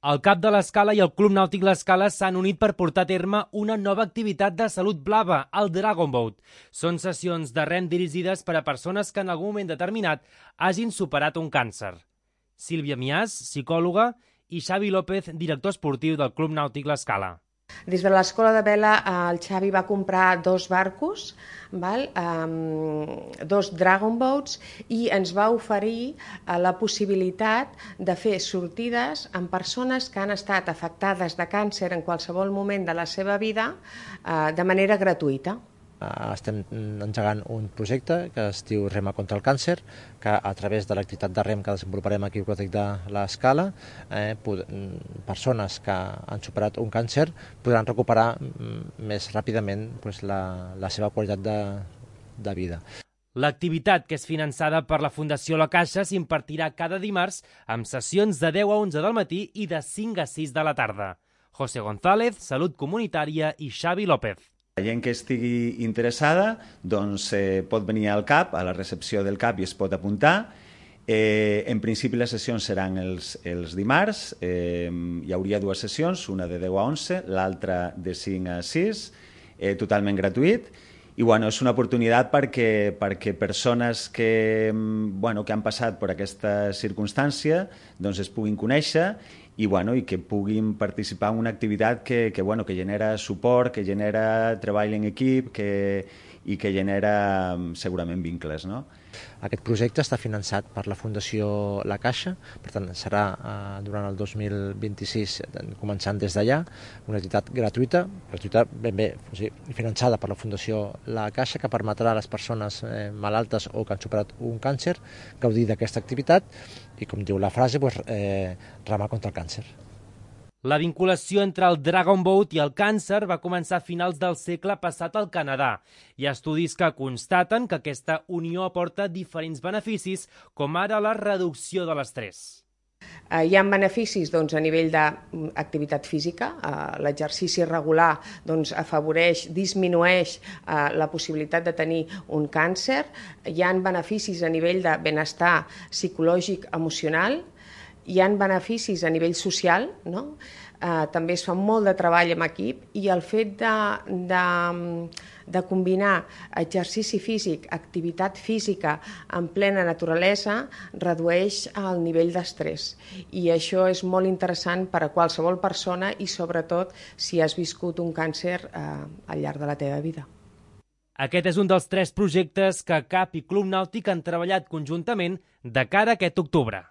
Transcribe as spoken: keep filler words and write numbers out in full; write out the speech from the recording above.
El CAP de l'Escala i el Club Nàutic l'Escala s'han unit per portar a terme una nova activitat de salut blava, el Dragon Boat. Són sessions de rem dirigides per a persones que en algun moment determinat hagin superat un càncer. Sílvia Miàs, psicòloga, i Xavi López, director esportiu del Club Nàutic l'Escala. Des de l'escola de vela el Xavi va comprar dos barcos, val? Um, dos Dragon Boats, i ens va oferir uh, la possibilitat de fer sortides amb persones que han estat afectades de càncer en qualsevol moment de la seva vida uh, de manera gratuïta. Estem engegant un projecte que es diu Rema contra el càncer, que a través de l'activitat de rem que desenvoluparem aquí al Club Nàutic de l'Escala, eh, persones que han superat un càncer podran recuperar més ràpidament pues, la, la seva qualitat de, de vida. L'activitat, que és finançada per la Fundació La Caixa, s'impartirà cada dimarts amb sessions de deu a onze del matí i de cinc a sis de la tarda. José González, Salut Comunitària, i Xavi López. La gent que estigui interessada doncs, eh, pot venir al CAP, a la recepció del CAP, i es pot apuntar. Eh, en principi les sessions seran els, els dimarts, eh, hi hauria dues sessions, una de deu a onze, l'altra de cinc a sis, eh, totalment gratuït. I bueno, és una oportunitat perquè, perquè persones que, bueno, que han passat per aquesta circumstància doncs es puguin conèixer i, bueno, i que puguin participar en una activitat que, que, bueno, que genera suport, que genera treball en equip que, i que genera segurament vincles, no? Aquest projecte està finançat per la Fundació La Caixa, per tant serà eh, durant el dos mil vint-i-sis, començant des d'allà, una activitat gratuïta, gratuïta ben bé, o sigui, finançada per la Fundació La Caixa, que permetrà a les persones eh, malaltes o que han superat un càncer gaudir d'aquesta activitat i, com diu la frase, pues, eh, remar contra el càncer. La vinculació entre el Dragon Boat i el càncer va començar a finals del segle passat al Canadà. Hi ha estudis que constaten que aquesta unió aporta diferents beneficis, com ara la reducció de l'estrès. Uh, hi ha beneficis doncs, a nivell d'activitat física. Uh, L'exercici regular doncs, afavoreix, disminueix uh, la possibilitat de tenir un càncer. Hi ha beneficis a nivell de benestar psicològic, emocional. Hi ha beneficis a nivell social, no? Uh, també es fa molt de treball en equip i el fet de, de, de combinar exercici físic, activitat física en plena naturalesa redueix el nivell d'estrès. I això és molt interessant per a qualsevol persona i sobretot si has viscut un càncer uh, al llarg de la teva vida. Aquest és un dels tres projectes que CAP i Club Nàutic han treballat conjuntament de cara a aquest octubre.